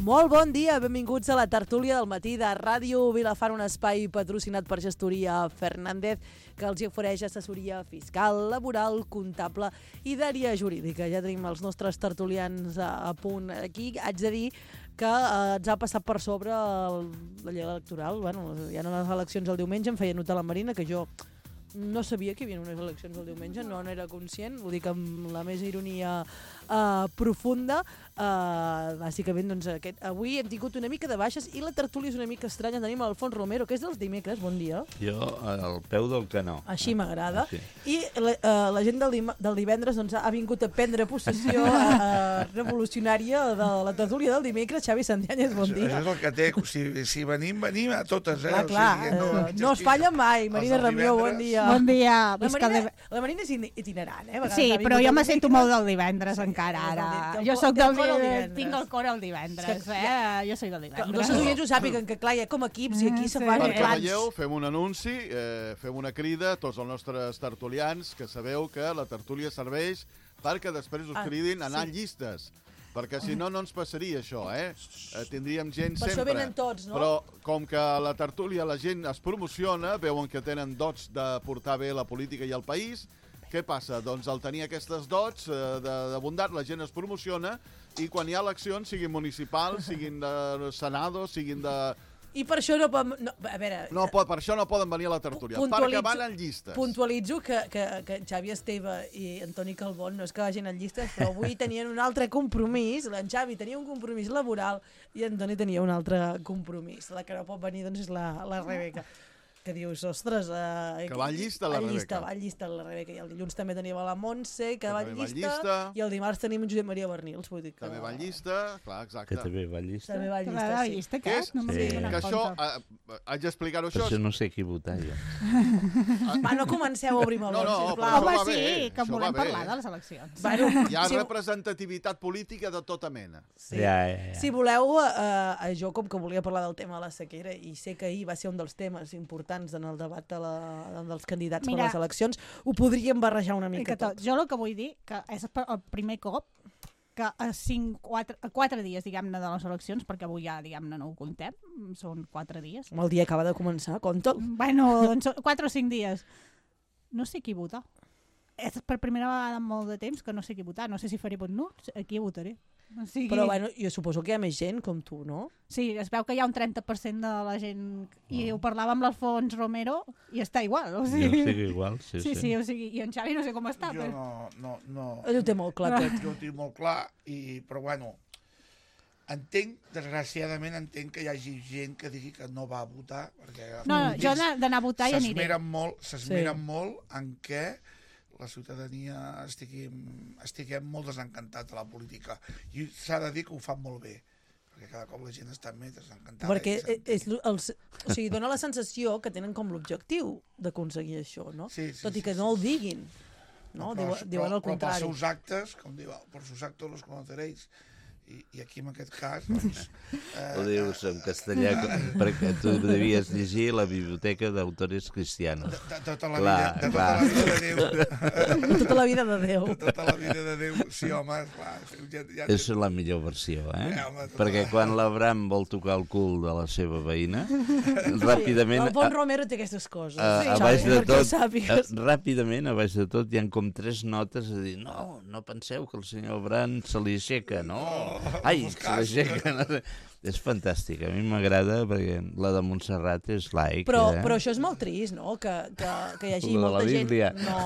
Molt bon dia, benvinguts a la tertúlia del matí de Ràdio Vilafant, un espai patrocinat per Gestoria Fernández, que els ofereix assessoria fiscal, laboral, comptable i d'àrea jurídica. Ja tenim els nostres tertulians a punt aquí. Haig de dir que ens ha passat per sobre la llei electoral. Bueno, hi ha unes eleccions el diumenge, em feia notar la Marina, que jo no sabia que hi havia unes eleccions el diumenge, no n'era conscient, ho dic amb la més ironia profunda. Bàsicament, doncs, avui hem tingut una mica de baixes i la tertúlia és una mica estranya. Tenim l'Alfons Romero, que és dels dimecres, bon dia. Jo, al peu del canó. Així m'agrada. I la gent del divendres doncs, ha vingut a prendre possessió revolucionària de la tertúlia del dimecres. Xavi Santianyes, bon dia. Això és el que té, si venim a totes. Clar, no es falla mai. Marina Ramió, bon dia. Bon dia. La Marina és itinerant, eh? Sí, però jo me sento molt del divendres encara, ara. Jo soc tinc el cor el divendres, Jo soy del divendres. Els nostres oients ho sàpiguen, que clar, hi ha com equips i aquí se fan Perquè clans. veieu, fem un anunci, fem una crida a tots els nostres tertulians, que sabeu que la tertúlia serveix perquè després us cridin a anar en llistes. Perquè si no, no ens passaria això, Tindríem gent sempre. Per això venen tots, no? Però com que a la tertúlia la gent es promociona, veuen que tenen dots de portar bé la política i el país, què passa? Doncs al tenir aquestes dots de bondat, la gent es promociona i quan hi ha eleccions, siguin municipals, siguin de Senado, siguin de... I per això no poden... No, a veure... per això no poden venir a la tertúlia, perquè van en llistes. Puntualitzo que Xavi Esteve i Antoni Calbón no és que vagin en llistes, però avui tenien un altre compromís. En Xavi tenia un compromís laboral i Antoni tenia un altre compromís. La que no pot venir doncs, és la Rebeca. Que dius, ostres... que va en llista la Rebeca. Va en llista la Rebeca. I el dilluns també teníem la Montse, que va en també va en llista. llista. I el dimarts tenim en Josep Maria Bernils. Vull dir que... També va en llista, clar, exacte. Que també va en llista. També va en llista, sí. llista, Què és? No Sí. Que això, haig d'explicar-ho Per això. això no sé qui votar, jo. Va, no comenceu a obrir melons, No, sisplau. però Home, això va bé, sí, que això volem va bé. parlar de les eleccions. Bueno, Hi ha si- representativitat política de tota mena. Sí. Ja. Si voleu, jo com que volia parlar del tema de la sequera i sé que ahir va ser un dels temes importants en el debat dels candidats per les eleccions, ho podríem barrejar una mica tot. Jo el que vull dir que és el primer cop que a 4 dies, diguem-ne, de les eleccions, perquè avui ja, diguem-ne, no ho comptem, són 4 dies. El dia acaba de començar, compta'l. Bueno, doncs 4 o 5 dies. No sé qui votar. És per primera vegada en molt de temps que no sé qui votar. No sé si faré vot nul, aquí votaré. O sigui... Però bueno, jo suposo que hi ha més gent com tu, no? Sí, es veu que hi ha un 30% de la gent, i ho parlava amb l'Alfons Romero, i està igual. O sigui... Jo estic igual, sí. Sí, o sigui, i en Xavi no sé com està. Jo Però... no. Ell ho té molt clar, tot. Jo ho tinc molt clar, però bueno, desgraciadament que hi hagi gent que digui que no va a votar, perquè No, jo d'anar a votar ja aniré. S'esmeren molt en què la ciutadania estiguem molt desencantats de la política. I s'ha de dir que ho fan molt bé, perquè cada cop la gent està més desencantada. Perquè dona la sensació que tenen com l'objectiu d'aconseguir això, no? Sí, tot i que no el diguin. No? Diuen el contrari. Però per seus actes, com diu, per sus actos los conoceréis. I aquí en aquest cas doncs, Ho dius en castellà perquè tu devies llegir la biblioteca d'autores cristianos. de tota la vida de Déu. Tota la vida de Déu. Tota la vida de Déu, sí, home, clar. Ja És la millor versió, home, perquè quan l'Abram vol tocar el cul de la seva veïna, ràpidament... El Bon Romero té aquestes coses. A baix de tot, ràpidament, a baix de tot, hi ha com 3 notes a dir, no penseu que el senyor Abram se li aixeca, no? Ai, se l'aixeca, no sé. És fantàstic, a mi m'agrada perquè la de Montserrat és laic. Però això és molt trist, no? Que hi hagi molta gent... No.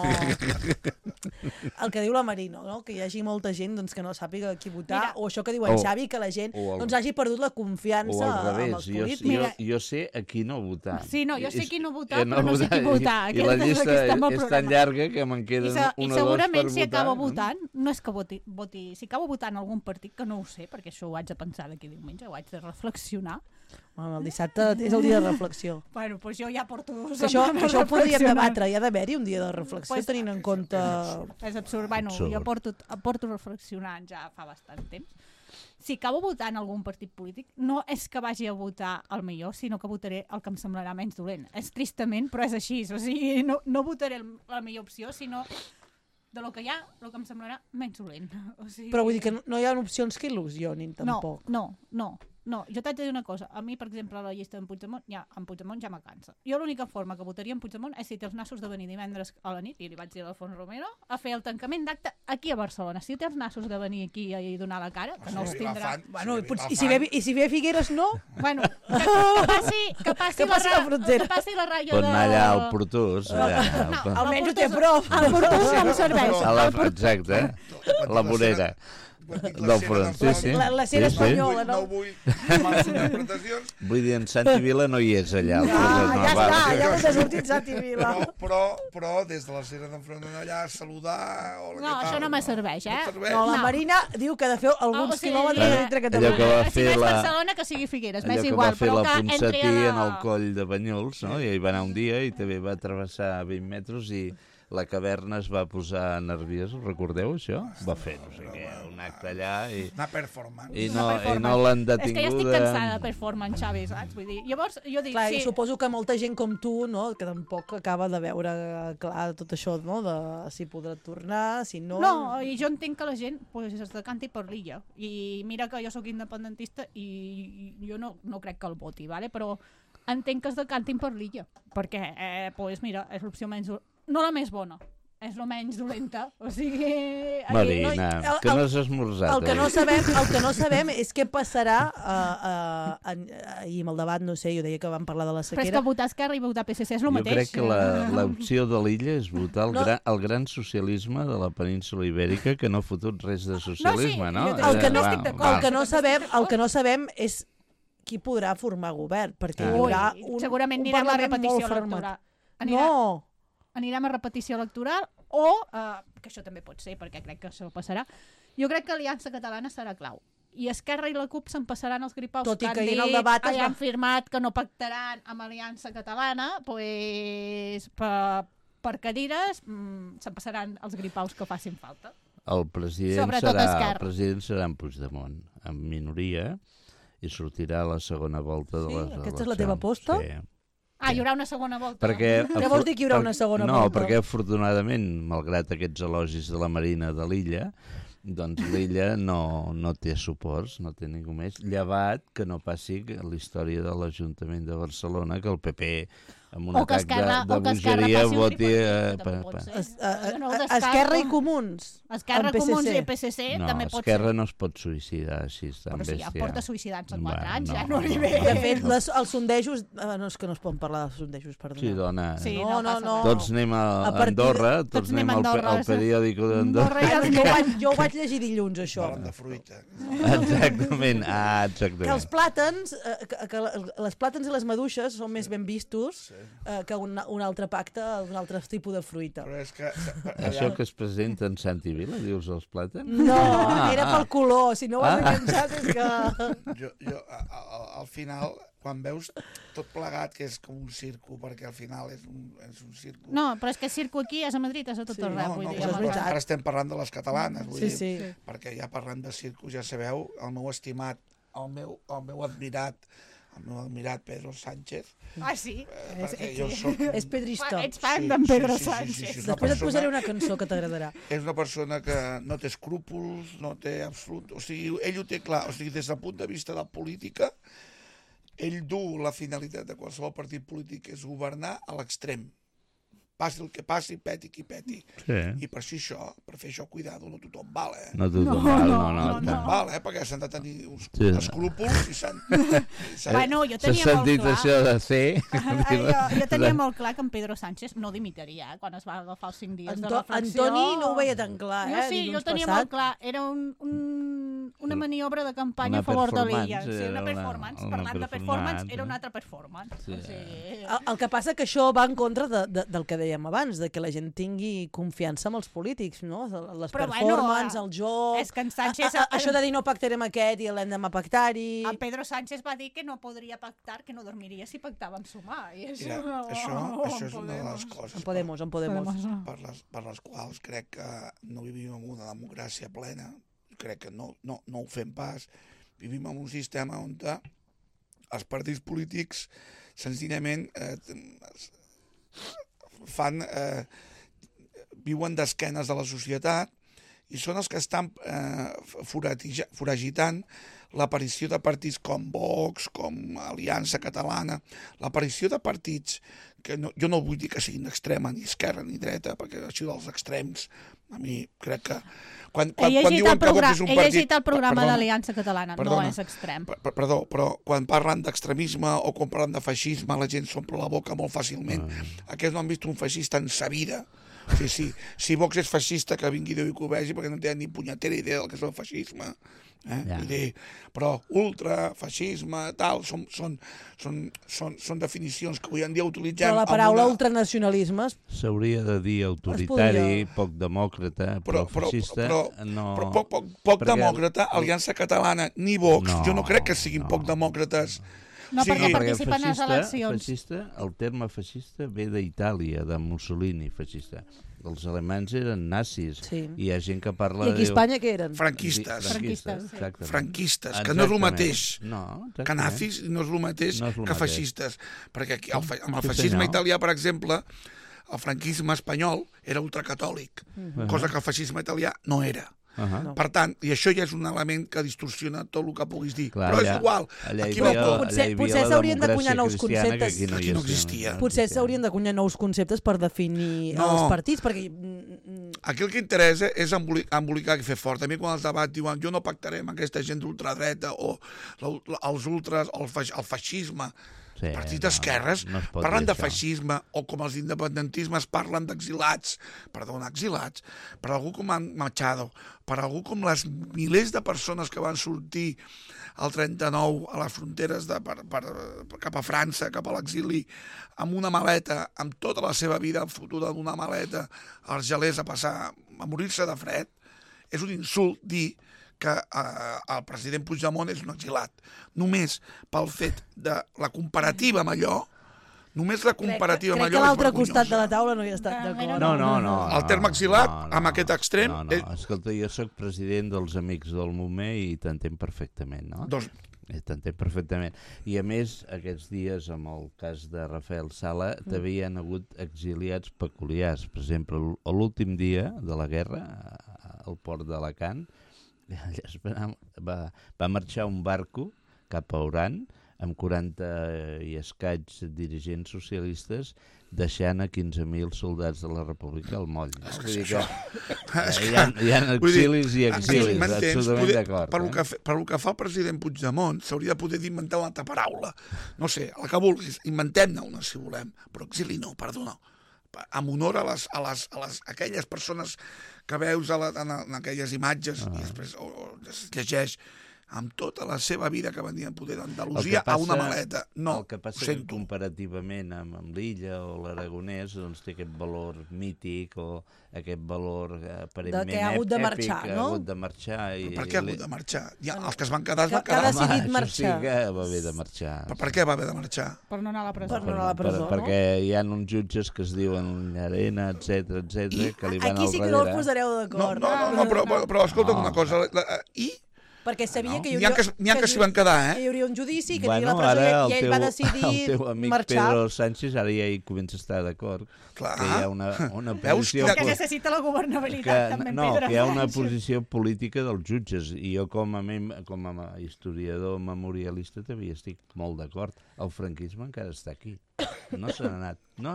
El que diu la Marina, no? Que hi hagi molta gent doncs, que no sàpiga qui votar, o això que diu en Xavi, que la gent doncs, hagi perdut la confiança amb els polítics. Jo sé a qui no votar. Sí, no, jo sé qui no votar, però no sé qui votar. I la llista és tan llarga que me'n queden una o dos per votar. I segurament si acabo votant, no és que voti, si acabo votant algun partit, que no ho sé, perquè això ho haig de pensar d'aquí diumenge, ho haig de reflexionar. Bueno, el dissabte és el dia de reflexió. Bueno, doncs jo ja porto 2 setmanes això ho podríem debatre, hi ha d'haver-hi un dia de reflexió, tenint en compte... És absurd, bueno, jo porto reflexionant ja fa bastant temps. Si acabo votant algun partit polític, no és que vagi a votar el millor, sinó que votaré el que em semblarà menys dolent. És tristament, però és així, o sigui, no votaré la millor opció, sinó de lo que hi ha, el que em semblarà menys dolent. O sigui... Però vull dir que no hi ha opcions que il·lusionin, tampoc. No, jo t'haig de dir una cosa. A mi, per exemple, la llista d'en Puigdemont, en Puigdemont ja me cansa. Jo l'única forma que votaria en Puigdemont és si té els nassos de venir divendres a la nit, i li vaig dir a l'Alfons Romero, a fer el tancament d'acte aquí a Barcelona. Si té els nassos de venir aquí i donar la cara, que no els tindrà... Bueno, i si ve a Figueres, no? Bueno, que passi la frontera. Que passi la ratlla de... Pot anar allà al Portús. Almenys ho té a prop. El Portús em serveix. Exacte, la vorera. Del front, sí. La cera espanyola, no? No vull males interpretacions. Vull dir, en Santi Vila no hi és allà. Ja està, ja us ha sortit Santi Vila. Però des de la cera d'enfront d'allà, saludar... No, això no me serveix, eh? No, la Marina diu que ha de fer alguns quilòmetres dintre Catalunya. Si no és Barcelona, que sigui Figueres, m'és igual. Allò que va fer la Ponsatí en el coll de Banyuls, no? I hi va anar un dia i també va travessar 20 metres i la caverna es va posar nerviosa, recordeu això? Va fer, no sé què, un acte allà i... Una performance. I no l'han detinguda. És que ja estic cansada de performance, Xavi, saps? Vull dir, llavors jo dic... Clar, suposo que molta gent com tu, no?, que tampoc acaba de veure clar tot això, no?, de si podrà tornar, si no... No, i jo entenc que la gent pues, es decanti per l'illa. I mira que jo sóc independentista i jo no crec que el voti, ¿vale? Però entenc que es decantin per l'illa. Perquè, pues, mira, és l'opció menys... No la més bona, és la menys dolenta. O sigui... Marina, que no has esmorzat. El que no sabem és què passarà ahir amb el debat, no sé, jo deia que vam parlar de la sequera. Però és que votar Esquerra i votar PSC és el mateix. Jo crec que l'opció de l'illa és votar el gran socialisme de la península ibèrica, que no ha fotut res de socialisme, no? El que no sabem és qui podrà formar govern, perquè hi haurà segurament anirem a repetició electoral. Anirem a repetició electoral o, que això també pot ser, perquè crec que això passarà, jo crec que Aliança Catalana serà clau. I Esquerra i la CUP se'n passaran els gripaus tot que han dit, han firmat que no pactaran amb Aliança Catalana, pues, per cadires se'n passaran els gripaus que facin falta. El president serà en Puigdemont, en minoria, i sortirà a la segona volta de les eleccions. Aquesta és la teva aposta? Sí. Hi haurà una segona volta. Què vols dir que hi haurà una segona volta? No, perquè afortunadament, malgrat aquests elogis de la Marina de l'illa, doncs l'illa no té suports, no té ningú més, llevat que no passi la història de l'Ajuntament de Barcelona, que el PP amb un atac de bogeria voti... Esquerra i Comuns. Esquerra, Comuns i PSC també pot ser. Esquerra no es pot suïcidar així tan bèstia. Però si ja porta suïcidant-se 4 anys, ja no li ve. De fet, els sondejos... No, és que no es poden parlar de sondejos, perdona. Sí, dona. No. Tots anem a Andorra, tots anem al periòdic d'Andorra. Jo ho vaig llegir dilluns, això. Parlant de fruita. Exactament. Que els plàtans, les plàtans i les maduixes són més ben vistos que un altre pacte d'un altre tipus de fruita. Però és que... Això que es presenta en Santi Vila, dius els plàtans? No, era pel color, si no ho has enganxat és que... Jo, al final, quan veus tot plegat, que és com un circo, perquè al final és un circo... No, però és que circo aquí és a Madrid, és a tot arreu. Ara estem parlant de les catalanes, vull dir, perquè ja parlant de circo, ja sabeu, el meu estimat, el meu admirat Pedro Sánchez. Ah, sí? És pedrista. Ets fan d'en Pedro Sánchez. Després et posaré una cançó que t'agradarà. És una persona que no té escrúpols, no té absolut... O sigui, ell ho té clar. O sigui, des del punt de vista de la política, ell du la finalitat de qualsevol partit polític és governar a l'extrem. Passi el que passi, peti qui peti. Sí. I per fer això, cuidado, no tothom val, No tothom val, no. Val, perquè s'han de tenir uns escrúpols i s'han... Bueno, jo tenia molt clar... això de ser... Jo tenia molt clar que en Pedro Sánchez no dimitiria quan es va agafar els 5 dies de reflexió. Antoni no ho veia tan clar, No, sí, jo tenia molt clar. Era una maniobra de campanya a favor de l'illa. Sí, una performance. Parlant de performance, era una altra performance. El que passa que això va en contra del que dèiem abans, de que la gent tingui confiança en els polítics, no? Les performances, el joc... És que en Sánchez... Això de dir no pactarem aquest i l'endemà pactar-hi... El Pedro Sánchez va dir que no podria pactar, que no dormiria si pactàvem sumar. I això és una de les coses per les quals crec que no vivim en una democràcia plena. Crec que no ho fem pas. Vivim en un sistema on els partits polítics senzillament fan viuen d'esquenes de la societat i són els que estan foragitant l'aparició de partits com Vox, com Aliança Catalana, l'aparició de partits que jo no vull dir que siguin d'extrema, ni esquerra ni dreta, perquè això dels extrems, a mi crec que... Quan diuen que Vox és un partit... He llegit el programa d'Aliança Catalana, no és extrem. Perdó, però quan parlen d'extremisme o quan parlen de feixisme, la gent s'omple la boca molt fàcilment. Aquests no han vist un feixista en sa vida. Si Vox és feixista, que vingui Déu i que ho vegi, perquè no tenen ni punyetera idea del que és el feixisme. Però ultra, feixisme, tal, són definicions que avui en dia utilitzem... Però la paraula ultranacionalisme... S'hauria de dir autoritari, poc demòcrata, però feixista... Però poc demòcrata, Aliança Catalana, ni Vox, jo no crec que siguin poc demòcrates. No, perquè participen a les eleccions. Feixista, el terme feixista ve d'Itàlia, de Mussolini, feixista. Els alemanys eren nazis, i hi ha gent que parla... I aquí a Espanya què eren? Franquistes. Franquistes, que no és el mateix. Que nazis no és el mateix que feixistes. Perquè aquí, amb el feixisme italià, per exemple, el franquisme espanyol era ultracatòlic, cosa que el feixisme italià no era. Per tant, i això ja és un element que distorsiona tot el que puguis dir. Però és igual. Potser s'haurien d'acunyar nous conceptes. Aquí no existia. Potser s'haurien d'acunyar nous conceptes per definir els partits, perquè... Aquí el que interessa és embolicar i fer fort. A mi quan els debats diuen jo no pactaré amb aquesta gent d'ultradreta o els ultras o el feixisme, partits d'esquerres parlen de feixisme, o com els independentismes parlen d'exilats, exilats, per algú com Machado, per algú com les milers de persones que van sortir al 39 a les fronteres cap a França, cap a l'exili, amb una maleta, amb tota la seva vida fotuda en una maleta, als gelers a morir-se de fred. És un insult dir que el president Puigdemont és un exilat. Només pel fet de la comparativa amb allò, només la comparativa amb allò és vergonyosa. Crec que l'altre costat de la taula no hi ha estat d'acord. No. El terme exilat, amb aquest extrem... No, escolta, jo sóc president dels Amics del Moment i t'entenc perfectament, no? T'entenc perfectament. I a més, aquests dies, amb el cas de Rafael Sala, també hi ha hagut exiliats peculiars. Per exemple, l'últim dia de la guerra, al port d'Alacant, va marxar un barco cap a Oran amb 40 i escaig dirigents socialistes, deixant a 15.000 soldats de la República al moll. Vull dir que hi ha exilis i exilis, absolutament d'acord. Per el que fa el president Puigdemont, s'hauria de poder inventar una altra paraula. No sé, la que vulguis, inventem-ne una si volem, però exili no, perdona. En honor a aquelles persones que veus en aquelles imatges i després es llegeix amb tota la seva vida que venien poder d'Andalusia a una maleta. No, el que passa que comparativament amb l'Illa o l'Aragonès doncs té aquest valor mític o aquest valor aparentment èpic. Que ha hagut de marxar, no? Ha hagut de marxar. Per què ha hagut de marxar? Els que es van quedar es van quedar. Que ha decidit marxar. Sí que va haver de marxar. Per què va haver de marxar? Per no anar a la presó. Perquè hi ha uns jutges que es diuen Llarena, etc que li van al darrere. Aquí sí que no el posareu d'acord. No, però escolta'm una cosa. I... Perquè sabia que hi hauria... que s'hi van quedar, que hi hauria un judici, que hi hauria la presó, i ell va decidir marxar. El teu amic Pedro Sánchez ara ja hi comença a estar d'acord. Clar. Que hi ha una posició... Que necessita la governabilitat, també, Pedro Sánchez. Que hi ha una posició política dels jutges, i jo com a historiador memorialista també estic molt d'acord. El franquisme encara està aquí. No se n'ha anat. No.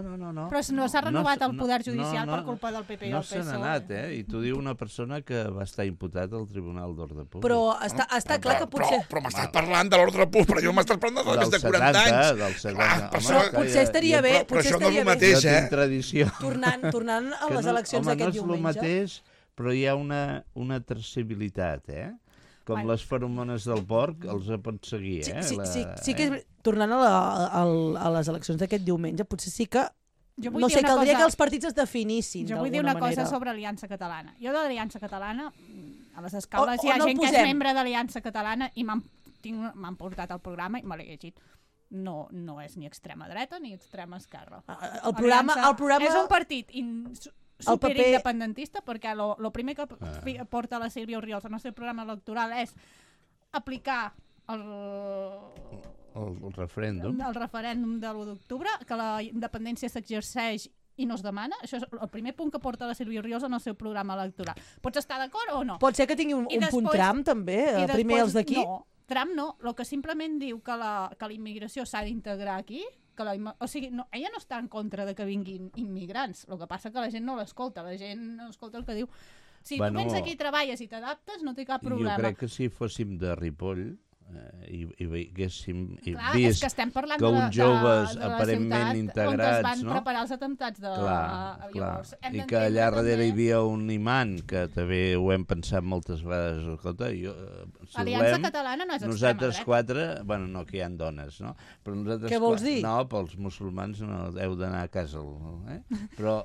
Però no s'ha renovat el poder judicial per culpa del PP i el PSOE. No se n'ha anat, I t'ho diu una persona que va estar imputat al Tribunal d'Ordre Públic. Però està clar que potser... Però m'estàs parlant de l'ordre públic, però jo m'estàs parlant de més de 40 anys. Dels 70. Però potser estaria bé... Però això no és el mateix, tradició. Tornant a les eleccions d'aquest diumenge. No és el mateix, però hi ha una traçabilitat, Com les feromones del porc, els pots seguir, Sí que tornant a les eleccions d'aquest diumenge, potser sí que... No sé, caldria que els partits es definissin d'alguna manera. Jo vull dir una cosa sobre Aliança Catalana. Jo de l'Aliança Catalana, a les escales hi ha gent que és membre de l'Aliança Catalana i m'han portat al programa i me l'he llegit. No és ni extrema dreta ni extrema esquerra. El programa... És un partit superindependentista, perquè el primer que porta la Sílvia Orriols al nostre programa electoral és aplicar el referèndum de l'1 d'octubre, que la independència s'exerceix i no es demana. Això és el primer punt que porta la Sílvia Oriol en el seu programa electoral. Pots estar d'acord o no? Pot ser que tingui un punt tram, també? Primer els d'aquí? No, tram no. El que simplement diu que la immigració s'ha d'integrar aquí, o sigui, ella no està en contra de que vinguin immigrants. El que passa que la gent no l'escolta. La gent no escolta el que diu. Si tu vens aquí, treballes i t'adaptes, no té cap problema. Jo crec que si fóssim de Ripoll i haguéssim clar, vist és que estem parlant que uns joves de la aparentment integrats, on es van preparar els atemptats de... Llavors, i que allà darrere hi havia un imant, que també ho hem pensat moltes vegades. Escolta, si Aliança Catalana no és extrema nosaltres dreta. quatre, bueno, no, que hi ha dones, no? Però nosaltres què vols dir? No, pels musulmans no heu d'anar a casa, però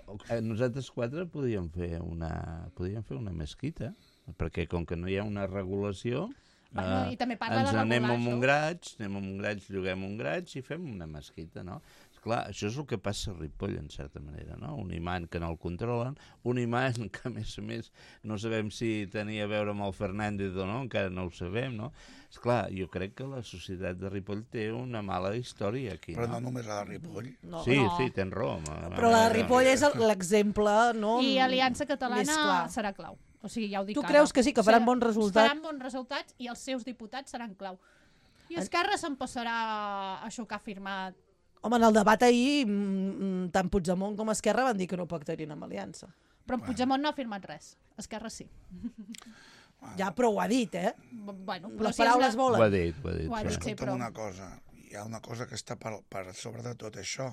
nosaltres quatre podíem fer una mesquita, perquè com que no hi ha una regulació... Bueno, i també parla ens de anem a regular, Montgraig, lloguem un graig i fem una mesquita, no? Esclar, això és el que passa a Ripoll, en certa manera, no? Un imant que no el controlen, un imant que, a més, no sabem si tenia a veure amb el Fernández o no, encara no ho sabem, no? Esclar, jo crec que la societat de Ripoll té una mala història aquí, Però no només la de Ripoll. No. Sí, tens raó. Però la de Ripoll és l'exemple, no? I Aliança Més Catalana clar. serà clau. O sigui, ja ho dic Tu ara. creus que sí, que faran bons resultats? Faran bons resultats i els seus diputats seran clau. I Esquerra se'n passarà a xocar firmat. Home, en el debat ahir, tant Puigdemont com Esquerra van dir que no pactarien amb Aliança. Però Puigdemont no ha firmat res. Esquerra sí. Ja, però ho ha dit, Bueno, però Les paraules Ho volen. ha dit. Ho ha Però dit. Sí. Sí, escolta'm però- una cosa, hi ha una cosa que està per sobre de tot això,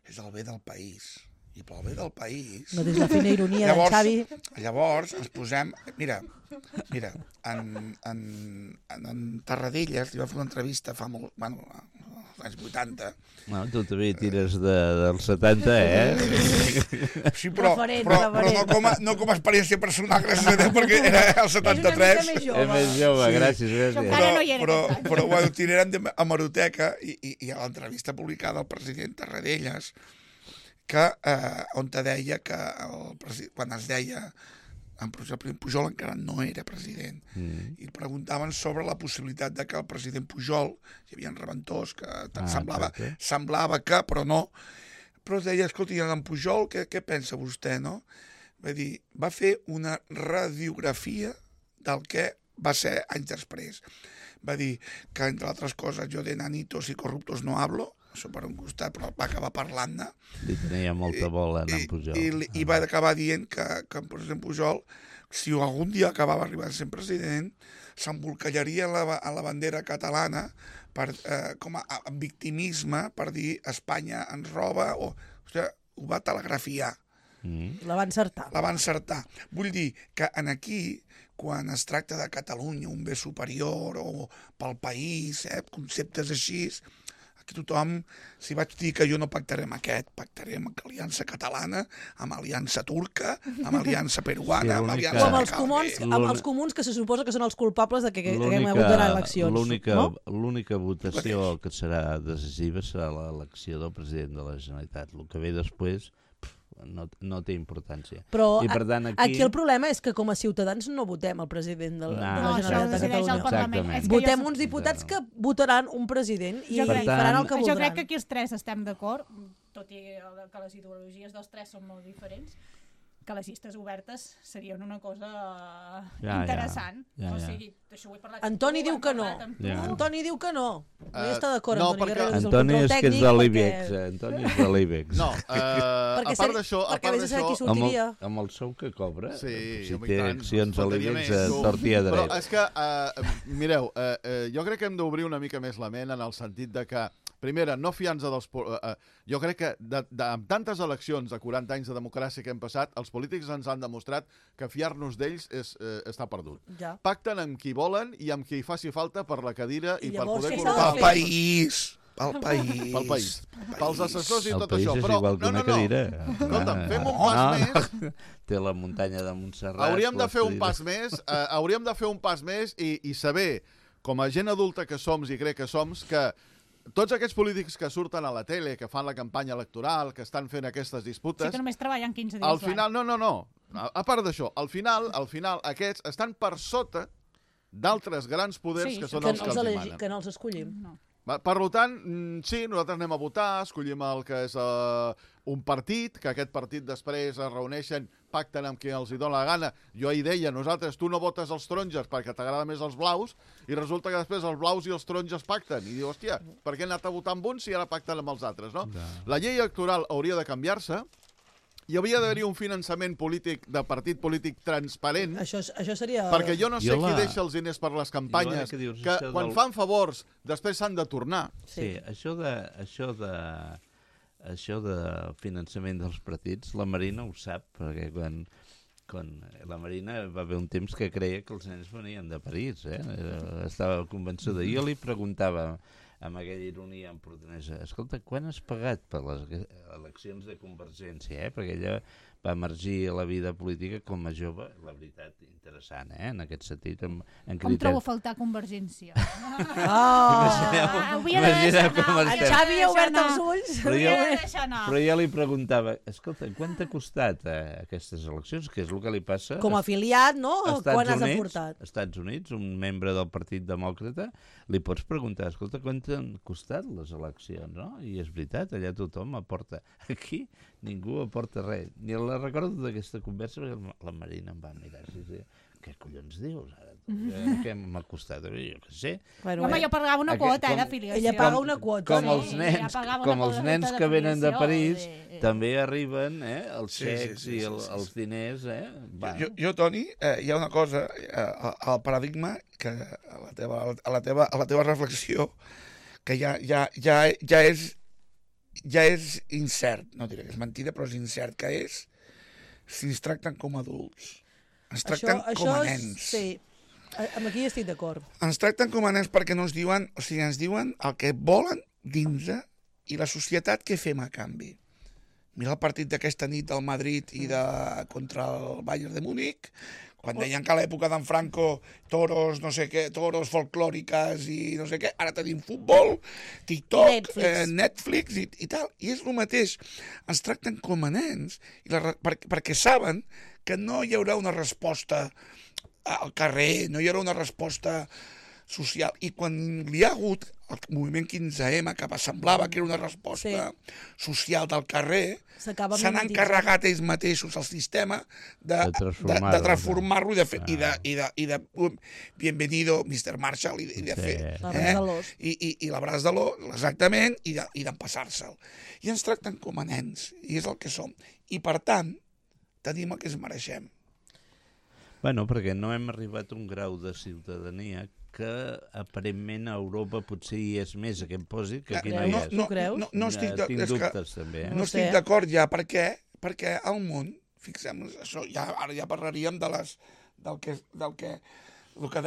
és el bé del país. I pel bé del país... No des la fina ironia d'en Xavi. Llavors ens posem... Mira, en Tarradellas li va fer una entrevista fa molt... Bueno, als anys 80. No, tu també tires dels 70, Sí, però Referent. no com a experiència personal, gràcies a Déu, perquè era el 73. És una mica més jove. És més jove, Sí. gràcies. Encara no hi era però, aquest any. però bueno, tirarem a Hemeroteca i a l'entrevista publicada al president Tarradellas, que, on te deia que quan es deia el president Pujol encara no era president, i preguntaven sobre la possibilitat de que el president Pujol, hi havia reventors que semblava que, però no, però es deia, escolta, i en Pujol què pensa vostè, no? Va fer una radiografia del que va ser anys després. Va dir que, entre altres coses, jo de nanitos i corruptos no hablo, això per un costat, però va acabar parlant-ne. Li tenia molta bola en Pujol. I va acabar dient que el president Pujol, si algun dia acabava arribant a ser president, s'embolcallaria a la bandera catalana com a victimisme per dir Espanya ens roba, o sigui, ho va telegrafiar. La va encertar. La va encertar. Vull dir que aquí, quan es tracta de Catalunya, un bé superior, o pel país, conceptes així, aquí tothom, si vaig dir que jo no pactaré amb aquest, pactaré amb Aliança Catalana, amb Aliança Turca, amb Aliança Peruana, amb Aliança... O amb els comuns, que se suposa que són els culpables de que haguem hagut d'anar a eleccions. L'única votació que serà decisiva serà l'elecció del president de la Generalitat. El que ve després no té importància. Però I per tant, aquí el problema és que com a ciutadans no votem el president de la Generalitat de Catalunya. Votem uns diputats que votaran un president i faran el que voldran. Jo crec que aquí els tres estem d'acord, tot i que les ideologies dels tres són molt diferents, que les llistes obertes serien una cosa interessant. O sigui, això ho he parlat. Antoni diu que no. Antoni diu que no. No hi està d'acord, Antoni Guerrero. Antoni és que és de l'IBEX. Antoni és de l'IBEX. No, a part d'això... Perquè vés a saber qui sortiria. Amb el sou que cobra, si té accions a l'IBEX, tortilla dret. Però és que, mireu, jo crec que hem d'obrir una mica més la ment en el sentit de que, primera, no fiar-nos dels... Jo crec que amb tantes eleccions de 40 anys de democràcia que hem passat, els polítics ens han demostrat que fiar-nos d'ells està perdut. Pacten amb qui volen i amb qui faci falta per la cadira i per poder col·locar... Pel país! Pel país. Pels assessors i tot això. El país és igual que una cadira. Escolta'm, fem un pas més... Té la muntanya de Montserrat. Hauríem de fer un pas més i saber, com a gent adulta que som i crec que som, que tots aquests polítics que surten a la tele, que fan la campanya electoral, que estan fent aquestes disputes... Sí que només treballen 15 dies al final, no. A part d'això, al final, aquests estan per sota d'altres grans poders que són els que els manen. Que no els escollim. Per tant, sí, nosaltres anem a votar, escollim el que és un partit, que aquest partit després es reuneixen, pacten amb qui els hi dona la gana. Jo ahir deia, nosaltres, tu no votes els taronges perquè t'agrada més els blaus, i resulta que després els blaus i els taronges pacten. I diu, hòstia, per què he anat a votar amb uns si ara pacten amb els altres, no? La llei electoral hauria de canviar-se. Hi hauria d'haver-hi un finançament polític de partit polític transparent. Això seria... Perquè jo no sé qui deixa els diners per les campanyes, que quan fan favors després s'han de tornar. Sí, això de finançament dels partits, la Marina ho sap, perquè quan la Marina va haver un temps que creia que els nens venien de París, estava convençuda. Jo li preguntava, amb aquella ironia empordanesa, escolta, quan has pagat per les eleccions de Convergència? Perquè ella va emergir a la vida política com a jove, la veritat, interessant, en aquest sentit. Com trobo a faltar Convergència? En Xavi ha obert els ulls. Però jo li preguntava, escolta, quan t'ha costat aquestes eleccions? Que és el que li passa... Com a afiliat, no? Quan has aportat? Als Estats Units, un membre del Partit Demòcrata, li pots preguntar, escolta, quan t'han costat les eleccions, no? I és veritat, allà tothom aporta. Aquí ningú aporta res. Ni la recordo d'aquesta conversa, perquè la Marina em va mirar així, què collons dius ara? Què m'ha costat? Jo què sé. Home, jo pagava una quota d'afiliació. Ella paga una quota. Com els nens que venen de París, també arriben els xecs i els diners. Jo, Toni, hi ha una cosa, al paradigma, que a la teva reflexió, que ja és incert, no diré que és mentida, però és incert, que és si ens tracten com a adults. Ens tracten com a nens. Sí, amb aquí estic d'acord. Ens tracten com a nens perquè no ens diuen, o sigui, ens diuen el que volen dins i la societat què fem a canvi. Mira el partit d'aquesta nit del Madrid i contra el Bayern de Múnich, quan deien que a l'època d'en Franco toros, no sé què, toros folclòriques i no sé què, ara tenim futbol, TikTok, Netflix i tal, i és el mateix. Ens tracten com a nens perquè saben que no hi haurà una resposta al carrer, no hi haurà una resposta social. I quan hi ha hagut el moviment 15M, que semblava que era una resposta social del carrer, s'han encarregat ells mateixos el sistema de transformar-lo i de bienvenido Mr. Marshall i de fer i l'abraç de l'os, exactament, i d'empassar-se'l. I ens tracten com a nens, i és el que som. I per tant, tenim el que ens mereixem. Bueno, perquè no hem arribat a un grau de ciutadania que aparentment a Europa potser hi és més a què em posi que aquí no hi és. No creus? Tinc dubtes també. No estic d'acord ja, perquè al món, fixem-nos, això ara ja parlaríem del que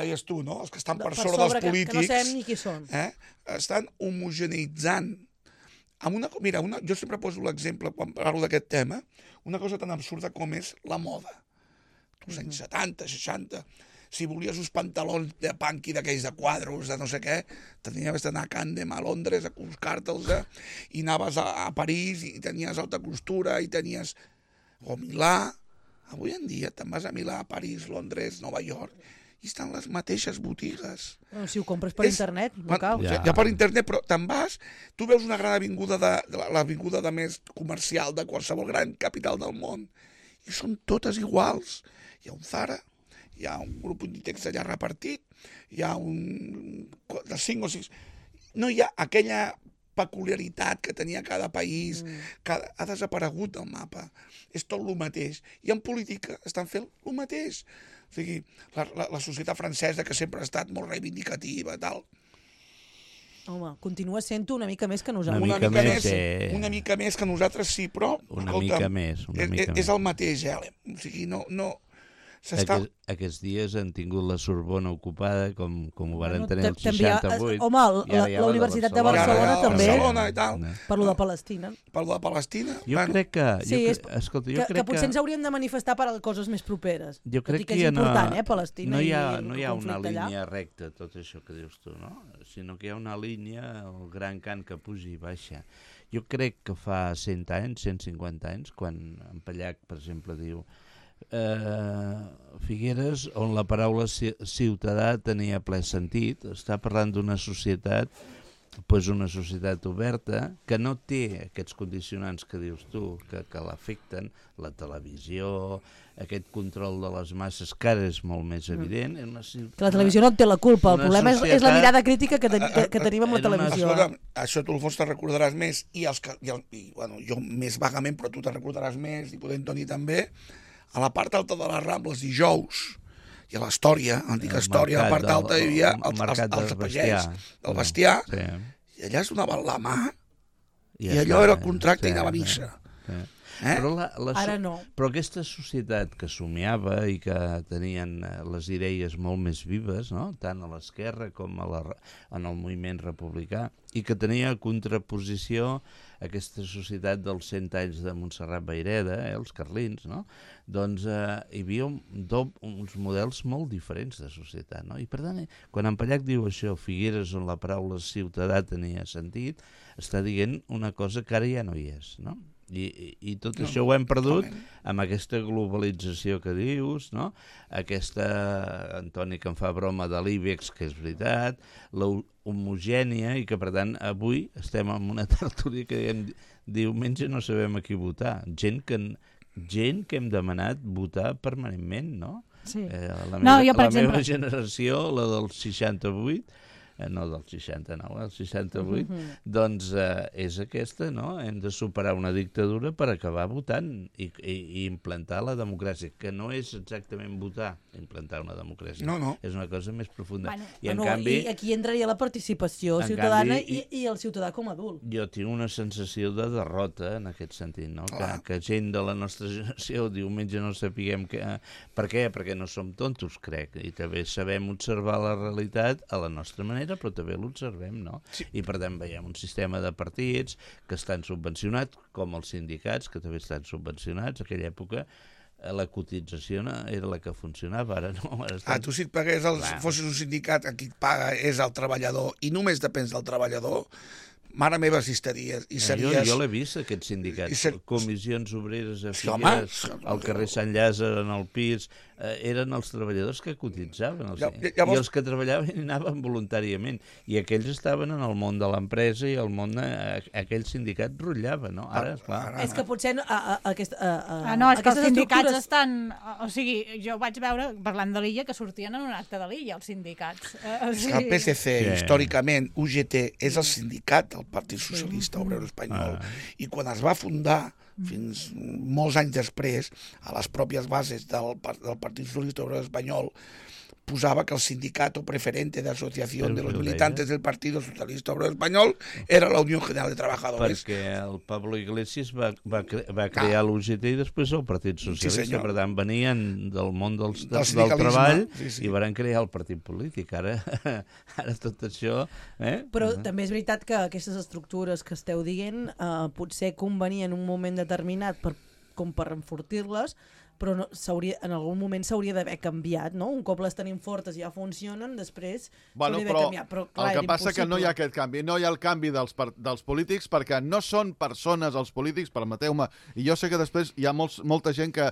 deies tu, no? Els que estan per sobre dels polítics, que no sabem ni qui són. Estan homogeneitzant. Mira, jo sempre poso l'exemple, quan parlo d'aquest tema, una cosa tan absurda com és la moda. Els anys 70, 60, si volies uns pantalons de punky d'aquells de quadros, de no sé què, tenies d'anar a Candem, a Londres, a buscar-te'ls, i anaves a París, i tenies alta costura, i tenies... O Milà. Avui en dia te'n vas a Milà, a París, Londres, Nova York, i estan les mateixes botigues. Bueno, si ho compres per internet, no cal. Ja per internet, però te'n vas, tu veus una gran avinguda, l'avinguda de més comercial de qualsevol gran capital del món, i són totes iguals. Hi ha un Zara, hi ha un grup Inditex allà repartit, hi ha de 5 o 6... No hi ha aquella peculiaritat que tenia cada país, que ha desaparegut del mapa. És tot el mateix. I en política estan fent el mateix. O sigui, la societat francesa, que sempre ha estat molt reivindicativa, tal... Home, continua sent-ho una mica més que nosaltres. Una mica més que nosaltres, sí, però... Una mica més. És el mateix, O sigui, no... Aquests dies han tingut la Sorbona ocupada, com ho van tenir el 68. Home, la Universitat de Barcelona també. Barcelona i tal. Per lo de Palestina. Per lo de Palestina. Jo crec que... Escolta, que potser ens hauríem de manifestar per a coses més properes. Jo crec que és important, Palestina. No hi ha una línia recta, tot això que dius tu, no? Sinó que hi ha una línia, el gran cant que puja i baixa. Jo crec que fa 100 anys, 150 anys, quan en Pallac, per exemple, diu Figueres, on la paraula ciutadà tenia ple sentit, està parlant d'una societat pues una societat oberta que no té aquests condicionants que dius tu, que l'afecten, la televisió, aquest control de les masses, que ara és molt més evident. Que la televisió no en té la culpa, el problema és la mirada crítica que tenim amb la televisió. Escolta, això tu, Alfons, te'n recordaràs més, bueno, jo més vagament, però tu te'n recordaràs més, i podem tenir també, a la part alta de les Rambles dijous, i a l'Història, l'antiga Història, a la part alta hi havia els pagès del bestiar, i allà es donaven la mà, i allò era el contracte i anava a missa. Però ara no. Però aquesta societat que somiava i que tenien les idees molt més vives, no? Tant a l'esquerra com en el moviment republicà, i que tenia contraposició aquesta societat dels 100 anys de Montserrat Vayreda, els carlins, no? Doncs hi havia uns models molt diferents de societat, no? I per tant, quan en Pallach diu això, Figueres, on la paraula ciutadà tenia sentit, està dient una cosa que ara ja no hi és, no? I tot això ho hem perdut amb aquesta globalització que dius, no? Aquesta, Antoni, que em fa broma de l'IBEX, que és veritat, la homogènia, i que per tant avui estem en una tertúlia que diem diumenge no sabem a qui votar. Gent que hem demanat votar permanentment, no? Sí. La meva generació, la del 68, no del 69, el 68, doncs és aquesta, no? Hem de superar una dictadura per acabar votant i implantar la democràcia, que no és exactament votar, implantar una democràcia. No. És una cosa més profunda. I en canvi, aquí entraria la participació ciutadana i el ciutadà com a adult. Jo tinc una sensació de derrota en aquest sentit, no? Que gent de la nostra generació diumenge no sapiguem per què, perquè no som tontos, crec, i també sabem observar la realitat a la nostra manera, però també l'observem, no? Sí. I per tant veiem un sistema de partits que estan subvencionats, com els sindicats, que també estan subvencionats. En aquella època la cotització era la que funcionava, ara no. Tu si et pagués, fossis un sindicat, qui et paga és el treballador, i només depens del treballador, mare meva, si estaries... Jo l'he vist, aquest sindicat. Comissions obreres a Figueres, al carrer Sant Llàzer, en el pis... eren els treballadors que cotitzaven. I els que treballaven anaven voluntàriament. I aquells estaven en el món de l'empresa i el món... aquell sindicat rotllava, no? Ara, clar... És que potser... No, és que els sindicats estan... O sigui, jo vaig veure, parlant de l'Illa, que sortien en un acte de l'Illa, els sindicats. El PSC, històricament, UGT, és el sindicat del Partit Socialista Obrero Espanyol. I quan es va fundar, fins molts anys després, a les pròpies bases del Partit Socialista Obrero Espanyol, posava que el sindicato preferente de asociación de los militantes del Partido Socialista Obrero Español era la Unión General de Trabajadores. Perquè el Pablo Iglesias va crear l'UGT i després el Partit Socialista, per tant venien del món del treball i van crear el partit polític. Ara tot això... Però també és veritat que aquestes estructures que esteu dient potser convenien en un moment determinat com per enfortir-les, però en algun moment s'hauria d'haver canviat, no? Un cop les tenim fortes i ja funcionen, després s'hauria d'haver canviat. Però, clar, el que passa que no hi ha aquest canvi. No hi ha el canvi dels polítics perquè no són persones els polítics, permeteu-me. I jo sé que després hi ha molta gent que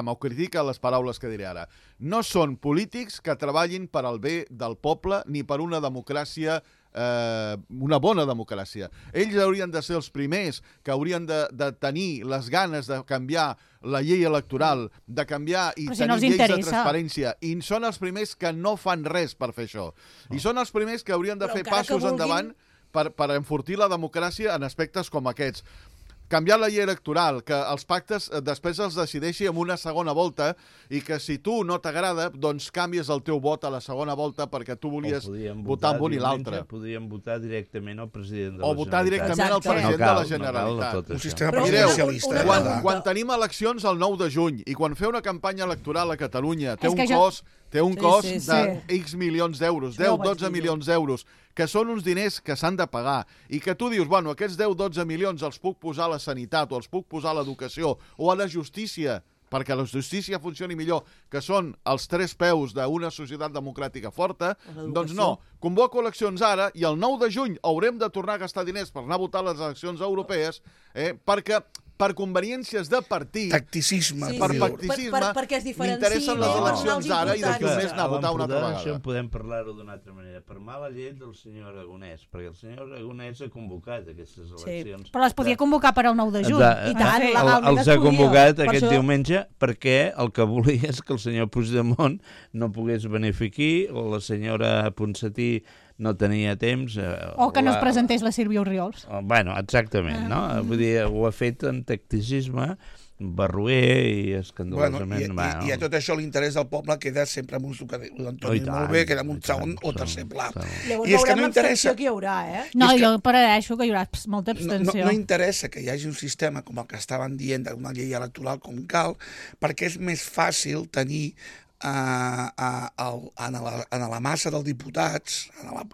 m'ho critica les paraules que diré ara. No són polítics que treballin per al bé del poble ni per una democràcia una bona democràcia. Ells haurien de ser els primers que haurien de tenir les ganes de canviar la llei electoral, de canviar i tenir lleis de transparència, i són els primers que no fan res per fer això. I són els primers que haurien de fer passos endavant per enfortir la democràcia en aspectes com aquests. Canviar la llei electoral, que els pactes després els decideixi en una segona volta i que si tu no t'agrada, doncs canvies el teu vot a la segona volta perquè tu volies votar amb un i l'altre. Podríem votar directament al president de la Generalitat. O votar directament al president de la Generalitat. Un sistema presidencialista. Quan tenim eleccions el 9 de juny i quan fer una campanya electoral a Catalunya té un cost de X milions d'euros, 10-12 milions d'euros, que són uns diners que s'han de pagar, i que tu dius, bueno, aquests 10-12 milions els puc posar a la sanitat, o els puc posar a l'educació, o a la justícia, perquè la justícia funcioni millor, que són els 3 peus d'una societat democràtica forta, doncs no. Convoco eleccions ara, i el 9 de juny haurem de tornar a gastar diners per anar a votar les eleccions europees, perquè per conveniències de partit, Tacticisme. Sí, per sí. pacticisme, Perquè es diferenciï, m'interessen les no? eleccions Els ara i d'aquí un importants. mes anar a votar una altra Això vegada. podem parlar-ho d'una altra manera. Per mala llet del senyor Aragonès, perquè el senyor Aragonès ha convocat aquestes eleccions. Però les podia convocar per al 9 de juny. I tant, legalment Els es ha podia. convocat Per aquest això- diumenge perquè el que volia és que el senyor Puigdemont no pogués venir aquí, o la senyora Ponsatí no tenia temps. O que no es presentés la Sílvia Orriols. Bueno, exactament, no? Vull dir, ho ha fet en tacticisme, barroer i escandalosament... I a tot això l'interès del poble queda sempre amb un suc de l'Antoni molt bé, queda en un segon o tercer pla. Llavors I és que veurem no l'abstenció interessa. que hi haurà, eh? No, és que- jo prefereixo que hi haurà molta abstenció. No interessa que hi hagi un sistema com el que estaven dient d'una llei electoral com cal, perquè és més fàcil tenir en la massa dels diputats, o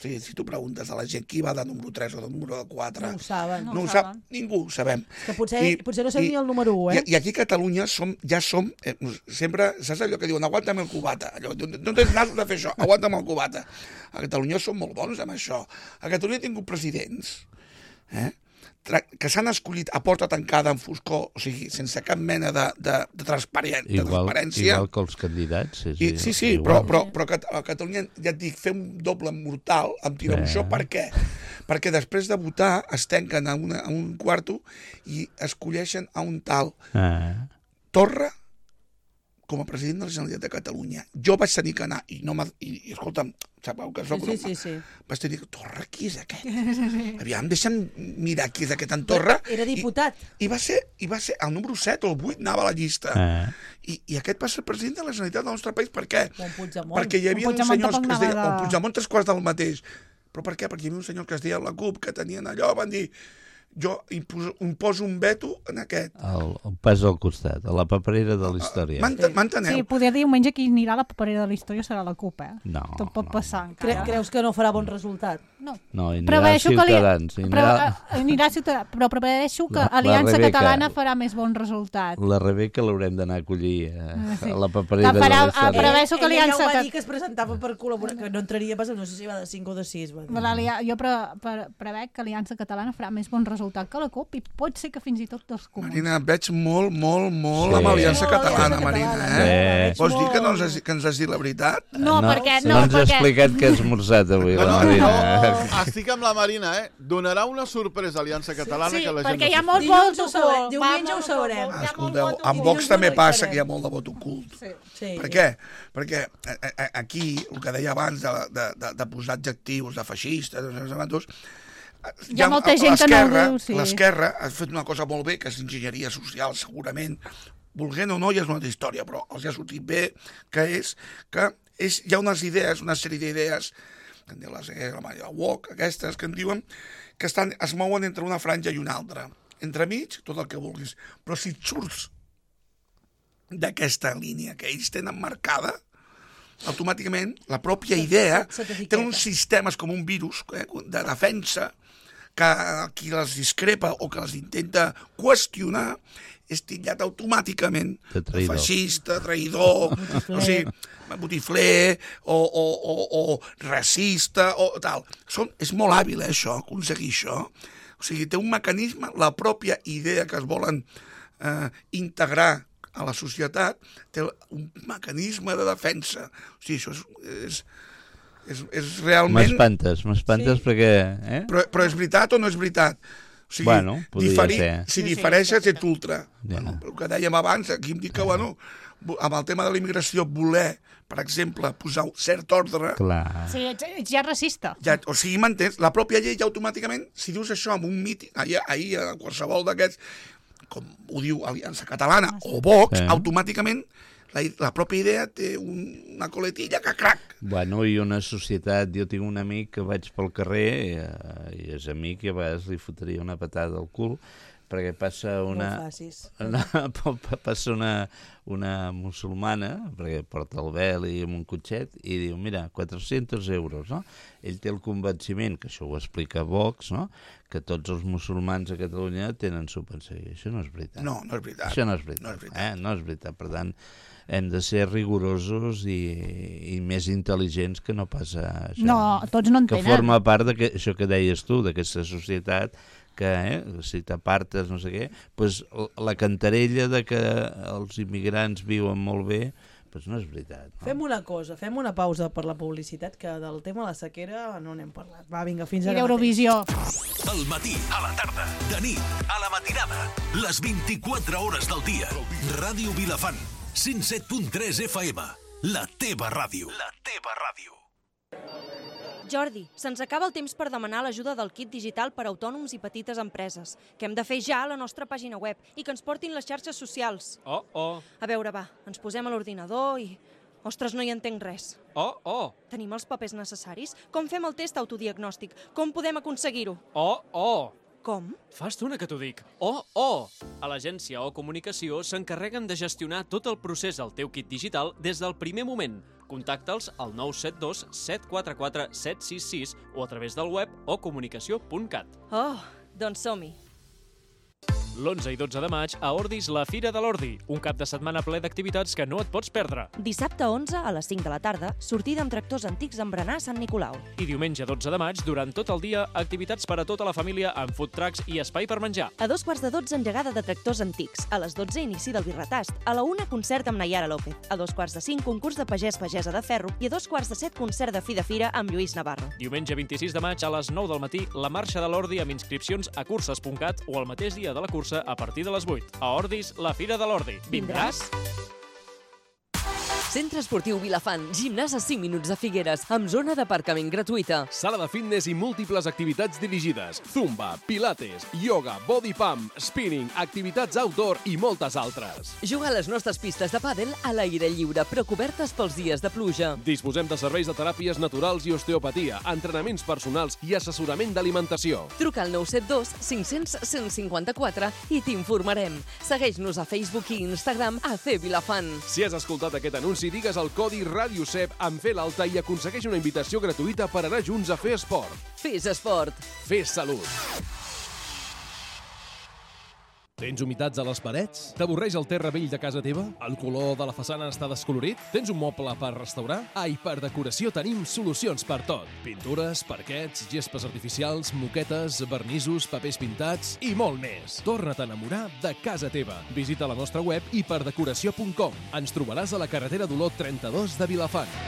sigui, si tu preguntes a la gent qui va de número 3 o de número 4, No ho saben. no ho sap ningú, ho sabem. Que potser no sabia ni el número 1, eh? I aquí a Catalunya ja som sempre, saps allò que diuen, aguanta'm el cubata, allò, no tens nas de fer això, aguanta'm el cubata. A Catalunya som molt bons amb això. A Catalunya he tingut presidents, que s'han escollit a porta tancada en foscor, o sigui, sense cap mena de transparència. Igual que els candidats. Sí, igual. però a Catalunya, ja et dic, fer un doble mortal amb tirabuixó, per què? Perquè després de votar es tanquen a un quarto i escolleixen a un tal Torra com a president de la Generalitat de Catalunya. Jo vaig tenir que anar, i escolta'm, sabeu que soc... Sí. Vaig tenir que... Torra, qui és aquest? Aviam, deixa'm mirar qui és aquest en Torra. Era diputat. I va ser el número 7 o el 8, anava a la llista. I aquest va ser president de la Generalitat del nostre país. Per què? Perquè hi havia uns senyors que es deien... O Puigdemont 3/4 del mateix. Però per què? Perquè hi havia un senyor que es deia la CUP, que tenien allò, van dir... Jo imposo un veto en aquest. El pas al costat, a la paperera de la història. M'enteneu? Sí, poder dir diumenge qui anirà a la paperera de la història serà la CUP, eh? No. Tot pot passar encara. Creus que no farà bon resultat? No. No, anirà Preveeixo que Ciutadans. anirà Ciutadans, però preveeixo que La Aliança Rebeca. Catalana farà més bon resultat. La Rebeca l'haurem d'anar a acollir Sí. a la paperera La farà- de la història. preveeixo que Ella ja Aliança ho va Cat- dir que es presentava per col·laborar, que no entraria pas, no sé si va de 5 o de 6. Jo prevec que Aliança Catalana farà més bon resultat que la CUP i pot ser que fins i tot dels comuns. Marina, et veig molt Sí. amb Aliança Molt Catalana, Aliança Marina, Catalana. Sí. Vols dir que ens has dit la veritat? No, perquè... No ens ha explicat què ha esmorzat avui, la Marina. Estic amb la Marina, Donarà una sorpresa a Aliança Catalana Sí, que la gent perquè no hi ha sap. molt Dilluns vot ho sabrem, ocult. diumenge Va, ho sabrem. hi ha molt Escolteu, vot amb ocult. Vox també passa que hi ha molt de vot ocult. Sí. Per què? Perquè aquí, el que deia abans de posar adjectius, de feixistes, Hi ha molta gent que no ho diu, sí. L'esquerra ha fet una cosa molt bé, que és enginyeria social, segurament, volent o no, ja és una altra història, però els ha sortit bé, que hi ha unes idees, una sèrie d'idees, que en diu la woke, aquestes que en diuen, que es mouen entre una franja i una altra. Entremig, tot el que vulguis. Però si et surts d'aquesta línia que ells tenen marcada, automàticament la pròpia idea té uns sistemes com un virus de defensa que qui les discrepa o que les intenta qüestionar és titllat automàticament De feixista, traïdor, o sigui, botifler o racista o tal. És molt hàbil, això, aconseguir això. O sigui, té un mecanisme, la pròpia idea que es volen integrar a la societat té un mecanisme de defensa. O sigui, això és realment... M'espantes perquè... Però és veritat o no és veritat? O sigui, Bueno, podria ser. Si difereixes, ets ultra. Ja. Bueno, el que dèiem abans, aquí em dic que, bueno, amb el tema de la immigració, voler, per exemple, posar cert ordre... Clar. Sí, ets ja racista. O sigui, m'entens? La pròpia llei ja automàticament, si dius això en un míting, ahir a qualsevol d'aquests, com ho diu Aliança Catalana o Vox, automàticament la pròpia idea té una coletilla que crac. Bueno, i una societat... Jo tinc un amic que vaig pel carrer i és amic i a vegades li fotria una patada al cul perquè passa passa una musulmana, perquè porta el vel i amb un cotxet, i diu, mira, 400 euros, no? Ell té el convenciment, que això ho explica Vox, no?, que tots els musulmans a Catalunya tenen subvenció. I això no és veritat. No és veritat. Això no és veritat. No és veritat. Per tant, hem de ser rigorosos i més intel·ligents que no pas això. No, tots no en que tenen. forma part d'això que deies tu, d'aquesta societat que si t'apartes, no sé què, doncs la cantarella de que els immigrants viuen molt bé, doncs no és veritat. No? Fem una cosa, fem una pausa per la publicitat, que del tema de la sequera no n'hem parlat. Va, vinga, fins I ara d'Eurovisió. Al matí, a la tarda, de nit, a la matinada, les 24 hores del dia. Ràdio Vilafant, 107.3 FM, la teva ràdio. La teva ràdio. Jordi, se'ns acaba el temps per demanar l'ajuda del kit digital per a autònoms i petites empreses, que hem de fer ja a la nostra pàgina web i que ens portin les xarxes socials. A veure, va, ens posem a l'ordinador i... Ostres, no hi entenc res. Tenim els papers necessaris? Com fem el test autodiagnòstic? Com podem aconseguir-ho? Com? Fa estona que t'ho dic. A l'agència O Comunicació s'encarreguen de gestionar tot el procés al teu kit digital des del primer moment. Contacta'ls al 972 744 766 o a través del web ocomunicació.cat. Doncs som-hi. L'11 i 12 de maig a Ordis, la Fira de l'Ordi, un cap de setmana ple d'activitats que no et pots perdre. Dissabte 11 a les 5 de la tarda, sortida amb tractors antics en berenar a Sant Nicolau. I diumenge 12 de maig, durant tot el dia, activitats per a tota la família amb food trucks i espai per menjar. A 2:45 engegada de tractors antics. A les 12 inici del birretast. A la 1 concert amb Nayara López. A 2:45 concurs de pagès-pagesa de ferro. I a 2:45 concert de fi de fira amb Lluís Navarro. Diumenge 26 de maig a les 9 del matí, la marxa de l'Ordi amb inscripcions a curses.cat o el mateix dia de la cursa a partir de les 8. A Ordis, la Fira de l'Ordi. Vindràs? Centre Esportiu Vilafant, gimnàs a 5 minuts de Figueres, amb zona d'aparcament gratuïta. Sala de fitness i múltiples activitats dirigides. Zumba, pilates, yoga, body pump, spinning, activitats outdoor i moltes altres. Juga a les nostres pistes de pàdel a l'aire lliure, però cobertes pels dies de pluja. Disposem de serveis de teràpies naturals i osteopatia, entrenaments personals i assessorament d'alimentació. Truca al 972 500 154 i t'informarem. Segueix-nos a Facebook i Instagram a AC Vilafant. Si has escoltat aquest anunci, digues el codi RADIOCEP en fer l'alta i aconsegueix una invitació gratuïta per anar junts a fer esport. Fes esport. Fes salut. Tens humitats a les parets? T'avorreix el terra vell de casa teva? El color de la façana està descolorit? Tens un moble per restaurar? Per decoració tenim solucions per tot. Pintures, parquets, gespes artificials, moquetes, vernissos, papers pintats i molt més. Torna't a enamorar de casa teva. Visita la nostra web hiperdecoració.com. Ens trobaràs a la carretera d'Olot 32 de Vilafant.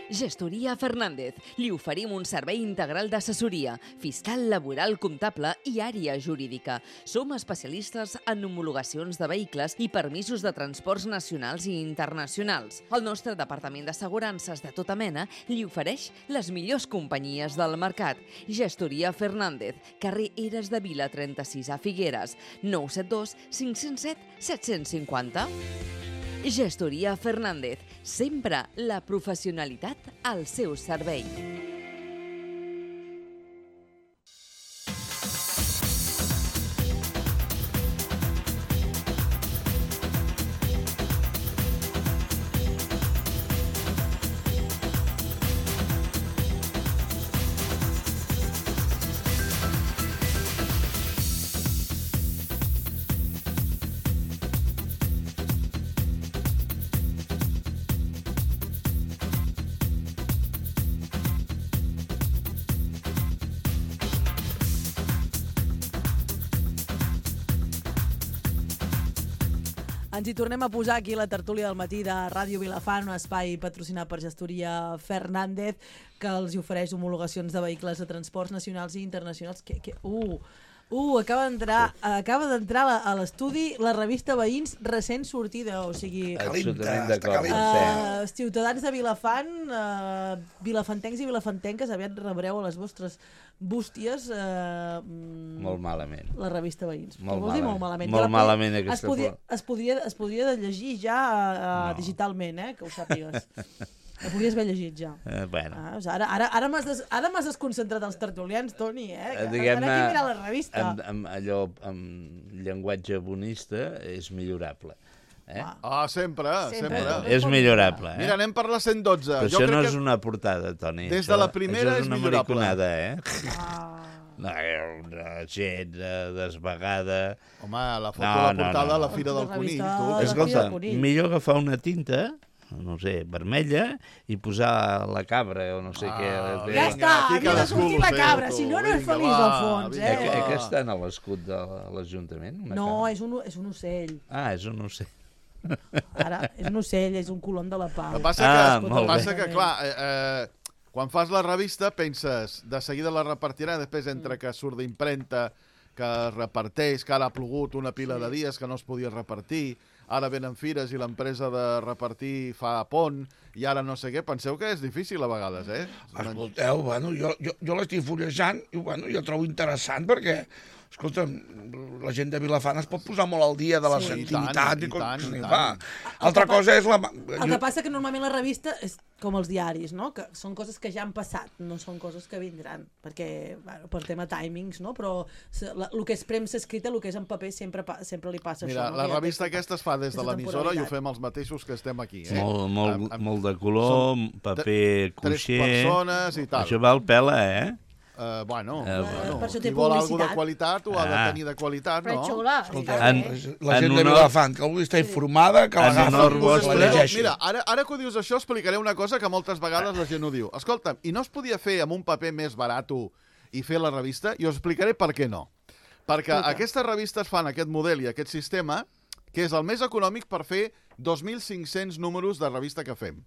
Gestoria Fernández. Li oferim un servei integral d'assessoria, fiscal, laboral, comptable i àrea jurídica. Som especialistes en homologacions de vehicles i permisos de transports nacionals i internacionals. El nostre departament d'assegurances de tota mena li ofereix les millors companyies del mercat. Gestoria Fernández, carrer Eres de Vila 36 a Figueres, 972 507 750. Gestoria Fernández, sempre la professionalitat al seu servei. Ens hi tornem a posar aquí a la tertúlia del matí de Ràdio Vilafant, un espai patrocinat per Gestoria Fernández, que els hi ofereix homologacions de vehicles de transports nacionals i internacionals. Acaba d'entrar a l'estudi la revista Veïns recent sortida, o sigui... Ciutadans de Vilafant, vilafantencs i vilafantenques, aviat rebreu a les vostres bústies... Molt malament. La revista Veïns. Molt Què vols dir molt malament? Molt malament aquesta es podria llegir ja digitalment, que ho sàpigues. Ho podries haver llegit ja. Ara m'has desconcentrat els tertulians, Toni, Diguem-ne, ara aquí mira la revista. Amb llenguatge bonista és millorable. Sempre. És millorable. Mira, anem per la 112. Però això no és una portada, Toni. Des de la primera és millorable. Això és una mariconada, una gent desvagada... Home, la foto de la portada a la Fira del Conill. Escolta, millor agafar una tinta no sé, vermella i posar la cabra o no sé què. Ja està, havia de sortir la cabra, si no, no és feliç al fons. Que està en l'escut de l'Ajuntament? No, és un ocell. Ah, és un ocell. Ara, és un ocell, és un colom de la pau. El que passa que, clar, quan fas la revista penses, de seguida la repartirà, després entre que surt d'impremta, que es reparteix, que ara ha plogut una pila de dies que no es podia repartir, ara venen fires i l'empresa de repartir fa pont, i ara no sé què. Penseu que és difícil a vegades, Escolteu, bueno, jo l'estic fullejant i bueno, jo trobo interessant perquè, escolta, la gent de Vilafant es pot posar molt al dia de la activitat i tant. Altra cosa és la... El que passa que normalment la revista és com els diaris, no? Que són coses que ja han passat, no són coses que vindran, perquè, bueno, per tema timings, no? Però el que és premsa escrita, el que és en paper, sempre li passa això. Mira, la revista aquesta es fa des de l'emissora i ho fem els mateixos que estem aquí. Molt de color, paper cuixer... 3 persones i tal. Això val pela, Bueno, qui vol alguna de qualitat ho ha de tenir de qualitat, no? Però xula. La gent de Vilafant, que algú està informada, que l'agafa, la llegeixi. Mira, ara que ho dius això, explicaré una cosa que moltes vegades la gent ho diu. Escolta'm, i no es podia fer amb un paper més barat i fer la revista? I us explicaré per què no. Perquè aquestes revistes fan aquest model i aquest sistema, que és el més econòmic per fer 2.500 números de revista que fem.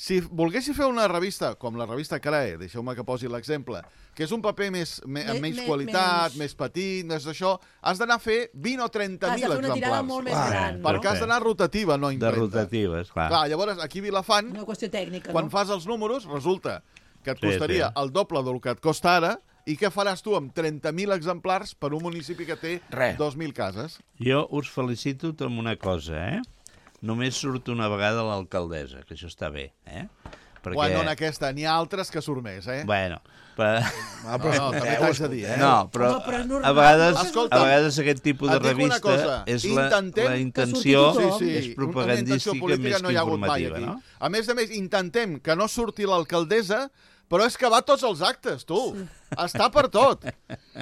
Si volguessi fer una revista, com la revista CRAE, deixeu-me que posi l'exemple, que és un paper amb menys qualitat, més petit, més d'això, has d'anar a fer 20 o 30.000 exemplars. Has de fer una tirada molt més gran. Perquè has d'anar rotativa, no impremta. De rotativa, esclar. Clar, llavors, aquí a Vilafant, una qüestió tècnica, quan fas els números, resulta que et costaria el doble del que et costa ara, i què faràs tu amb 30.000 exemplars per un municipi que té 2.000 cases? Jo us felicito amb una cosa, Només surt una vegada l'alcaldessa, que això està bé, Perquè... Bueno, en aquesta, n'hi ha altres que surt més, Bueno, però també t'haig de dir, No, però a vegades aquest tipus de revista és la intenció és propagandística més que informativa, no? A més, intentem que no surti l'alcaldessa, però és que va a tots els actes, tu. Està per tot.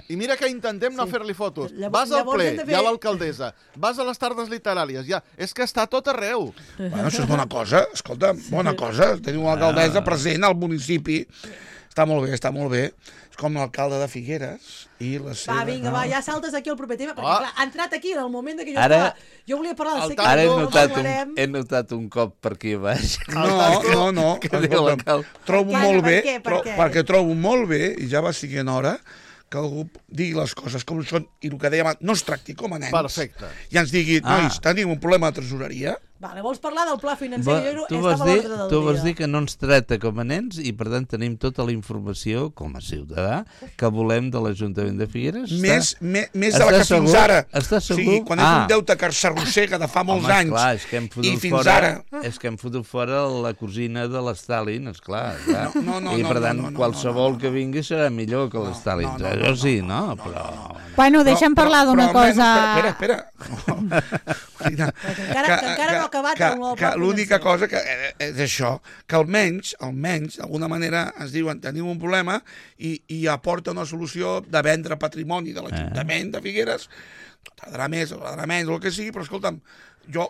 I mira que intentem no fer-li fotos. Vas al ple, hi ha l'alcaldessa. Vas a les tardes literàries, és que està tot arreu. Bueno, això és bona cosa. Escolta, bona cosa. Tenir una alcaldessa present al municipi. Està molt bé, està molt bé. És com l'alcalde de Figueres i la seva... Va, vinga, ja saltes aquí al proper tema, perquè clar, ha entrat aquí en el moment que jo volia parlar del Ara he notat un cop per aquí baix. No. Trobo molt bé, perquè trobo molt bé, i ja va siguent hora, que algú digui les coses com són, i el que dèiem, no es tracti com a nens. Perfecte. I ens digui, nois, tenim un problema de tresoreria. Vale, vols parlar del pla financer? Tu vas dir que no ens tracta com a nens i, per tant, tenim tota la informació, com a ciutadà, que volem de l'Ajuntament de Figueres. Més de la que fins ara. Estàs segur? Sí, quan és un deute que s'arrossega de fa molts anys. Clar, i fins ara... És que hem fotut fora la cosina de l'Stalin, esclar. I, per tant, qualsevol que vingui serà millor que l'Stalin. Això sí, no? Bueno, deixa'm parlar d'una cosa... Espera. Encara no ha acabat el nou pla financer. L'única cosa és això, que almenys, d'alguna manera, ens diuen tenim un problema i aporta una solució de vendre patrimoni de l'Ajuntament de Figueres. Tardarà més o tardarà menys, o el que sigui, però escolta'm,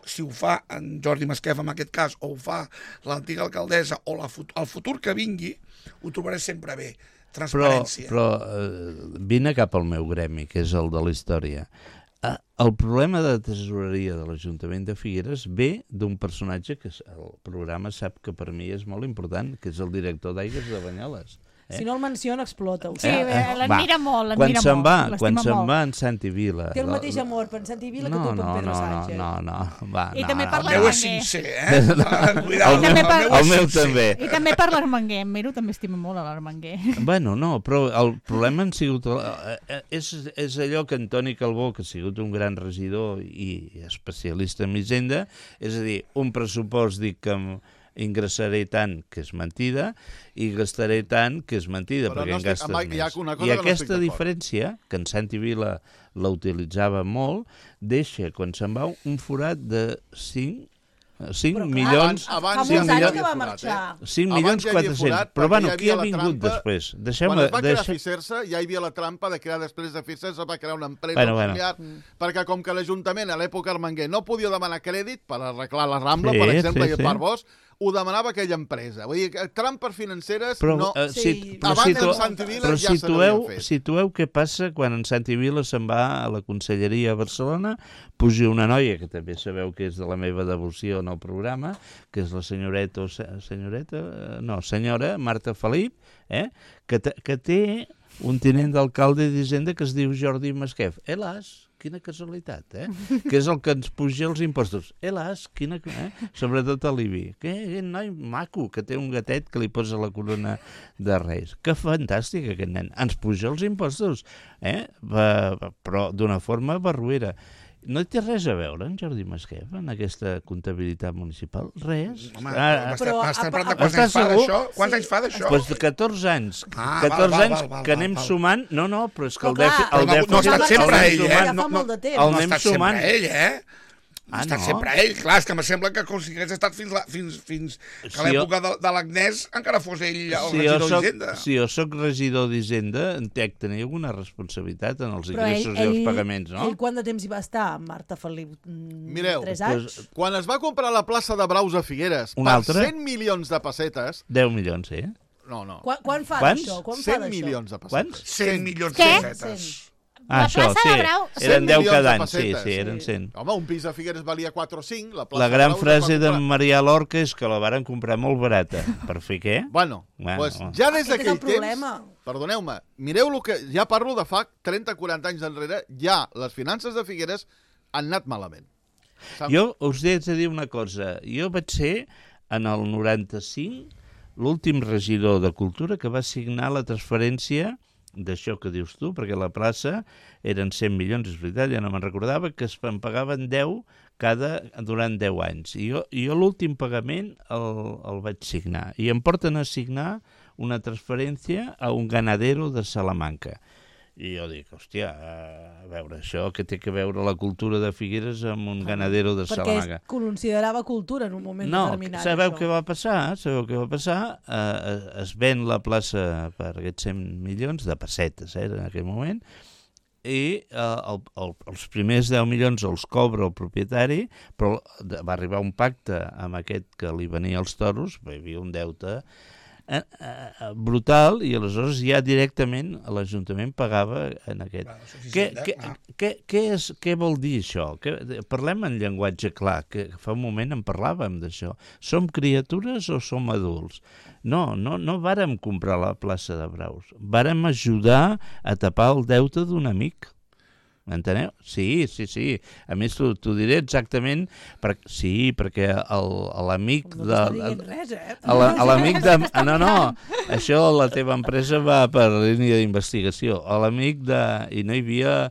si ho fa en Jordi Masquef en aquest cas, o ho fa l'antiga alcaldessa, o el futur que vingui, ho trobaré sempre bé. Transparència. Però vine cap al meu gremi, que és el de la història. El problema de tesoreria de l'Ajuntament de Figueres ve d'un personatge que el programa sap que per mi és molt important, que és el director d'Aigües de Banyoles. Si no el menciona, explota. Sí, l'admira molt, Quan se'n va en Santi Vila... Té el mateix amor per en Santi Vila que tu per Pedro Sánchez. No. I també per l'Armenguer. El meu és sincer, El meu també. I també per l'Armenguer. En Mero també estima molt a l'Armenguer. Bueno, no, però el problema han sigut... És allò que Antoni Calbó, que ha sigut un gran regidor i especialista en Hisenda, és a dir, un pressupost dic que ingressaré tant, que és mentida, i gastaré tant, que és mentida, perquè en gastes més. I aquesta diferència, que en Santi Vila la utilitzava molt, deixa, quan se'n va, un forat de 5 5 milions... Fa molts anys que va marxar. 5 milions 400. Però bueno, qui ha vingut després? Quan es va crear Fisersa, ja hi havia la trampa de crear després de Fisersa, va crear una empresa familiar, perquè com que l'Ajuntament a l'època Armenguer no podia demanar crèdit per arreglar la Rambla, per exemple, i per Bosch, ho demanava aquella empresa. Vull dir, trampes financeres no... Abans en Santi Vila ja se n'havia fet. Situeu què passa quan en Santi Vila se'n va a la Conselleria a Barcelona, puja una noia, que també sabeu que és de la meva devoció en el programa, que és la senyora Marta Felip, que té un tinent d'alcalde d'Hisenda que es diu Jordi Masquef. Helas, quina casualitat, que és el que ens puja els impostos. Helas, sobretot a l'IBI. Que noi maco, que té un gatet que li posa la corona de Reis. Que fantàstic, aquest nen. Ens puja els impostos, però d'una forma barruera. No té res a veure en Jordi Masquef en aquesta comptabilitat municipal? Res. Home, m'estàs parlant de quants anys fa d'això? Quants anys fa d'això? Doncs 14 anys. 14 anys que anem sumant... No, però és que el dèficit... No ha estat sempre ell, No ha estat sempre ell, ha estat sempre ell. Clar, és que me sembla que com si hagués estat fins que l'època de l'Agnès encara fos ell el regidor d'Hisenda. Si jo soc regidor d'Hisenda, entenc tenir alguna responsabilitat en els ingressos i els pagaments, no? Ell quant de temps hi va estar, Marta Felip? Mireu, 3 anys? Quan es va comprar la plaça de Braus a Figueres per 100 milions de pessetes... 10 milions, sí. No. Quan fa d'això? 100 milions de pessetes. 100 milions de pessetes. Això, sí, eren 10 cada any, sí, eren 100. Home, un pis a Figueres valia 4 o 5. La gran frase de Maria Lorca és que la varen comprar molt barata. Per fer què? Bueno, ja des d'aquell temps... Perdoneu-me, mireu el que... Ja parlo de fa 30-40 anys enrere, ja les finances de Figueres han anat malament. Jo us he de dir una cosa. Jo vaig ser, en el 95, l'últim regidor de Cultura que va signar la transferència d'això que dius tu, perquè la plaça eren 100 milions, és veritat, ja no me'n recordava, que es pagaven 10 durant 10 anys. I jo l'últim pagament el vaig signar. I em porten a signar una transferència a un ganadero de Salamanca. I jo dic, hòstia, a veure, això que té que veure la cultura de Figueres amb un ganadero de Salamanca. Perquè considerava cultura en un moment determinat. No, sabeu què va passar? Es ven la plaça per aquests 100 milions de pessetes, en aquell moment, i els primers 10 milions els cobra el propietari, però va arribar un pacte amb aquest que li venia els toros, hi havia un deute brutal, i aleshores ja directament l'Ajuntament pagava en aquest. Què vol dir això? Parlem en llenguatge clar, que fa un moment en parlàvem d'això. Som criatures o som adults? No vàrem comprar la plaça de Braus, vàrem ajudar a tapar el deute d'un amic. M'enteneu? Sí. A més, t'ho diré exactament, perquè l'amic de... No t'està dient res, L'amic de... No, això la teva empresa va per línia d'investigació. L'amic de... I no hi havia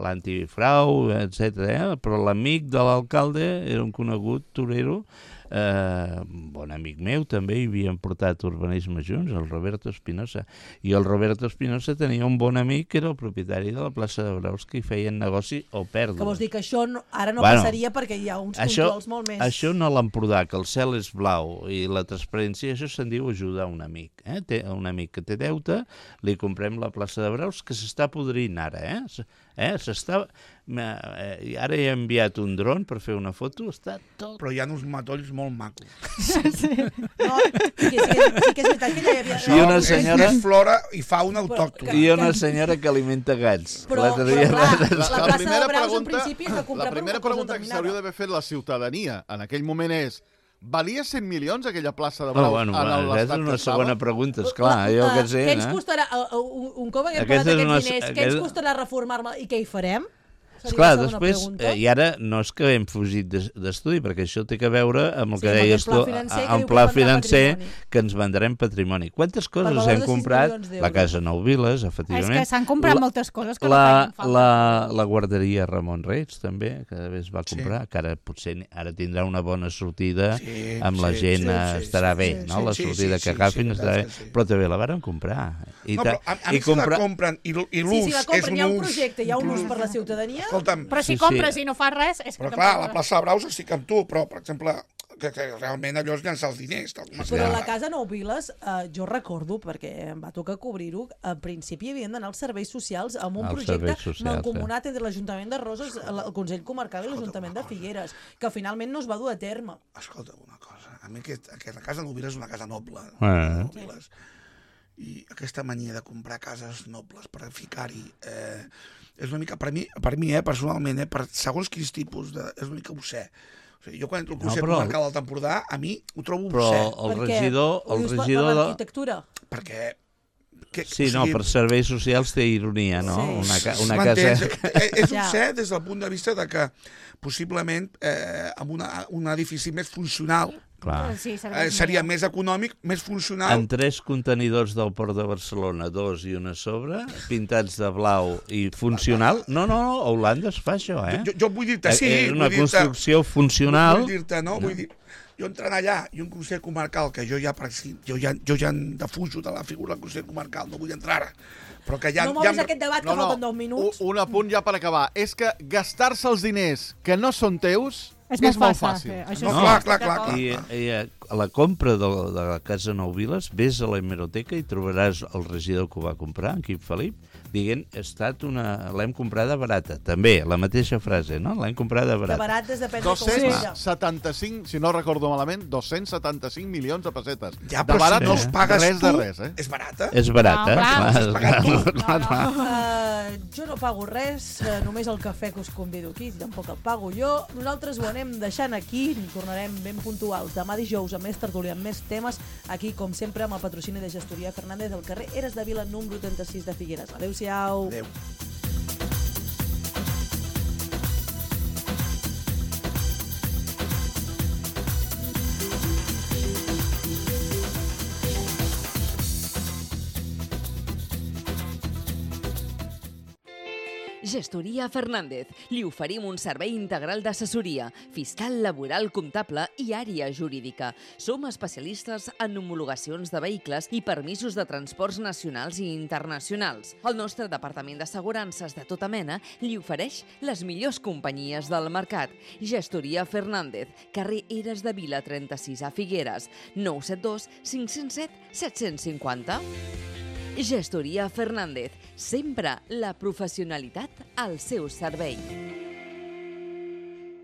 l'antifrau, etc. Però l'amic de l'alcalde era un conegut torero, bon amic meu, també hi havien portat urbanisme junts, el Roberto Espinosa. I el Roberto Espinosa tenia un bon amic que era el propietari de la plaça de Braus, que hi feien negoci o pèrdues. Que vols dir que això ara no passaria perquè hi ha uns controls molt més... Això no l'Empordà, que el cel és blau i la transparència, això se'n diu ajudar un amic. Un amic que té deute, li comprem la plaça de Braus, que s'està podrint ara, ara he enviat un dron per fer una foto, està tot... Però hi ha uns matolls molt macos. No, sí que és veritat que ja hi havia... I una senyora... És flora i fauna autòctona. I una senyora que alimenta gats. Però clar, la plaça de Braus en principi és de comprar per una cosa determinada. La primera pregunta que s'hauria d'haver fet la ciutadania en aquell moment és: valia 100 milions aquella plaça de Braus en l'estat que estava? És una segona pregunta, esclar, jo què sé. Què ens costarà, un cop haguem pagat aquests diners, què ens costarà reformar-la i què hi farem? Esclar, després, i ara no és que hem fugit d'estudi, perquè això té que veure amb el que deies tu, el pla financer, que ens vendrem patrimoni. Quantes coses hem comprat? La Casa Nou Viles, efectivament. És que s'han comprat moltes coses que no feien falta. La guarderia Ramon Reig, també, que es va comprar, que ara potser tindrà una bona sortida amb la gent, estarà bé, no? La sortida que agafin estarà bé, però també la varen comprar. No, però a mi si la compren i l'ús és un ús... Si la compren, hi ha un projecte, hi ha un ús per la ciutadania... escolta'm... Però si compres i no fas res... És que però clar, a la plaça de Braus estic amb tu, però, per exemple, que realment allò és llançar els diners. Però a la Casa Nou Viles, jo recordo, perquè em va tocar cobrir-ho, al principi havien d'anar als serveis socials amb un projecte mancomunat entre l'Ajuntament de Roses, el Consell Comarcal i l'Ajuntament de Figueres, que finalment no es va dur a terme. Escolta una cosa, a mi la Casa Nou Viles és una casa noble. I aquesta mania de comprar cases nobles per ficar-hi és una mica, per mi personalment, per segons quins tipus és una mica obscè. O sigui, jo quan entro al Consell Comarcal del Empordà, a mi ho trobo obsè. Però el regidor... Per l'arquitectura? Perquè... Sí, no, per serveis socials té ironia, no? Una casa... És obsè des del punt de vista de que possiblement amb un edifici més funcional seria més econòmic, més funcional. En 3 contenidors del Port de Barcelona, 2 i una sobre, pintats de blau i funcional. No, a Holanda es fa això, eh? Jo vull dir-te, sí. És una construcció funcional. Vull dir-te, no? Vull dir, jo entrant allà i un Consell Comarcal, que jo ja defujo de la figura del Consell Comarcal, no vull entrar-hi. Però que no moguis aquest debat, que falten 2 minuts. Un apunt ja per acabar. És que gastar-se els diners que no són teus és molt fàcil. Clar. I a la compra de la Casa Nou Viles, vés a la hemeroteca i trobaràs el regidor que ho va comprar, en Quim Felip, dient, l'hem comprada barata. També, la mateixa frase, no? L'hem comprada barata. De barat és depèn de com sigui. 275, si no recordo malament, 275 milions de pessetes. Ja, però si no es pagues tu, és barata? És barata, Jo no pago res, només el cafè que us convido aquí, tampoc el pago jo. Nosaltres ho anem deixant aquí, tornarem ben puntuals demà dijous amb més tertúlia, amb més temes, aquí com sempre amb el patrocini de Gestoria Fernández al carrer Eres de Vila número 36 de Figueres. Adéu-siau. Adéu. Gestoria Fernández. Li oferim un servei integral d'assessoria, fiscal, laboral, comptable i àrea jurídica. Som especialistes en homologacions de vehicles i permisos de transports nacionals i internacionals. El nostre departament d'assegurances de tota mena li ofereix les millors companyies del mercat. Gestoria Fernández, carrer Eres de Vila 36 a Figueres, 972 507 750. Gestoria Fernández, sempre la professionalitat al seu servei.